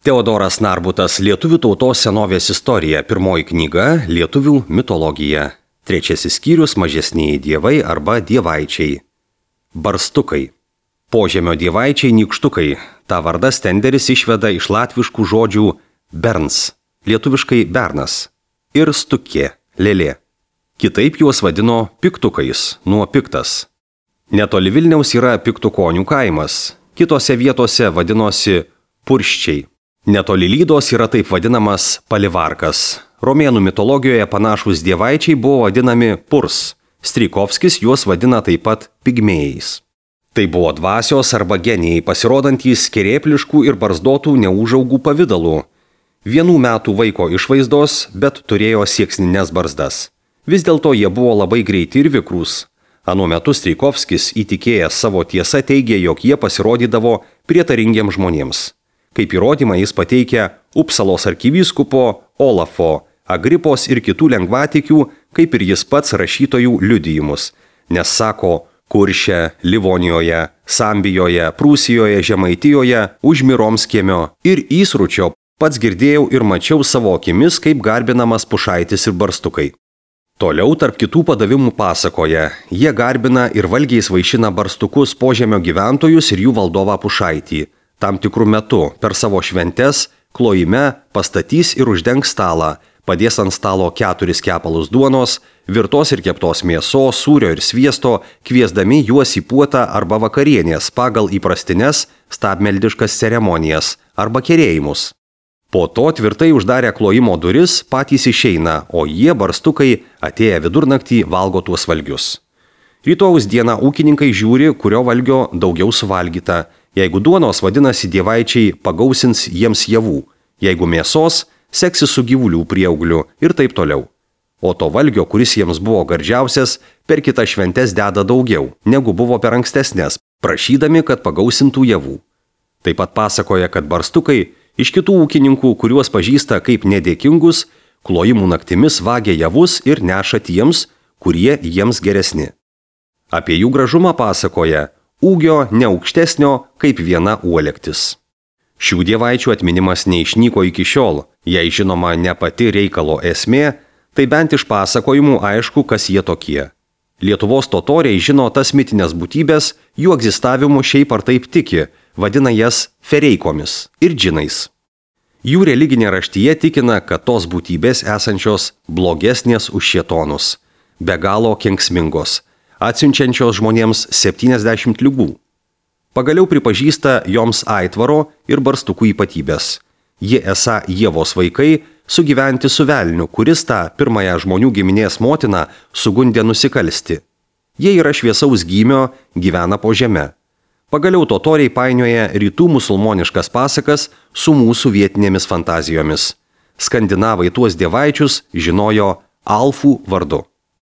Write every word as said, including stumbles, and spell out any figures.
Teodoras Narbutas Lietuvių tautos senovės istorija, pirmoji knyga Lietuvių mitologija. Trečiasis skyrius mažesnieji dievai arba dievaičiai. Barstukai. Požemio dievaičiai nykštukai. Ta vardą Stenderis išveda iš latviškų žodžių berns, lietuviškai bernas, ir stukė, lėlė. Kitaip juos vadino piktukais, nuo piktas. Netoli Vilniaus yra piktukonių kaimas, kitose vietose vadinosi purščiai. Netoli Lydos yra taip vadinamas palivarkas. Romėnų mitologijoje panašūs dievaičiai buvo vadinami purs. Strijkovskis juos vadina taip pat pigmėjais. Tai buvo dvasios arba genijai pasirodantys kerėpliškų ir barzdotų neūžaugų pavydalų. Vienų metų vaiko išvaizdos, bet turėjo sieksnines barzdas. Vis dėlto jie buvo labai greiti ir vikrūs. Anuo metu Strijkovskis įtikėjęs savo tiesą teigė, jog jie pasirodydavo prietaringiems žmonėms. Kaip įrodymą jis pateikia Upsalos arkivyskupo Olafo, Agripos ir kitų lengvatikių, kaip ir jis pats rašytojų liudijimus, nes sako, Kurše, Livonijoje, Sambijoje, Prūsijoje, Žemaitijoje, Užmiromskiemio ir Įsručio pats girdėjau ir mačiau savo akimis, kaip garbinamas pušaitis ir barstukai. Toliau tarp kitų padavimų pasakoja, jie garbina ir valgiais vaišina barstukus požemio gyventojus ir jų valdovą pušaitį. Tam tikrų metų per savo šventes klojime pastatys ir uždengs stalą, padės ant stalo keturis kepalus duonos, virtos ir keptos mėsos, sūrio ir sviesto, kviesdami juos į puotą arba vakarienės pagal įprastines stabmeldiškas ceremonijas arba kerėjimus. Po to tvirtai uždarę klojimo duris patys išeina, o jie barstukai atėję vidurnaktį valgo tuos valgius. Rytojaus dieną ūkininkai žiūri, kurio valgio daugiau suvalgyta. Jeigu duonos, vadinasi, dievaičiai pagausins jiems javų, jeigu mėsos, seksis su gyvulių prieaugliu ir taip toliau. O to valgio, kuris jiems buvo gardžiausias, per kitas šventes deda daugiau, negu buvo per ankstesnės, prašydami, kad pagausintų javų. Taip pat pasakoja, kad barstukai iš kitų ūkininkų, kuriuos pažįsta kaip nedėkingus, klojimų naktimis vagia javus ir neša tiems, kurie jiems geresni. Apie jų gražumą pasakoja ūgio neaukštesnio kaip viena uolektis. Šių dievaičių atminimas neišnyko iki šiol, jei žinoma ne pati reikalo esmė, tai bent iš pasakojimų aišku, kas jie tokie. Lietuvos totoriai žino tas mitinės būtybės, jų egzistavimu šiaip ar taip tiki, vadina jas fereikomis ir džinais. Jų religinė raštyje tikina, kad tos būtybės esančios blogesnės už šėtonus, be galo kenksmingos, atsiunčiančios žmonėms septyniasdešimt ligų. Pagaliau pripažįsta joms aitvaro ir barstukų ypatybės. Jie esą Ievos vaikai sugyventi su velniu, kuris tą pirmąją žmonių giminės motiną sugundė nusikalsti. Jie yra šviesaus gymio, gyvena po žeme. Pagaliau totoriai painioja rytų musulmoniškas pasakas su mūsų vietinėmis fantazijomis. Skandinavai tuos dievaičius žinojo alfų vardu.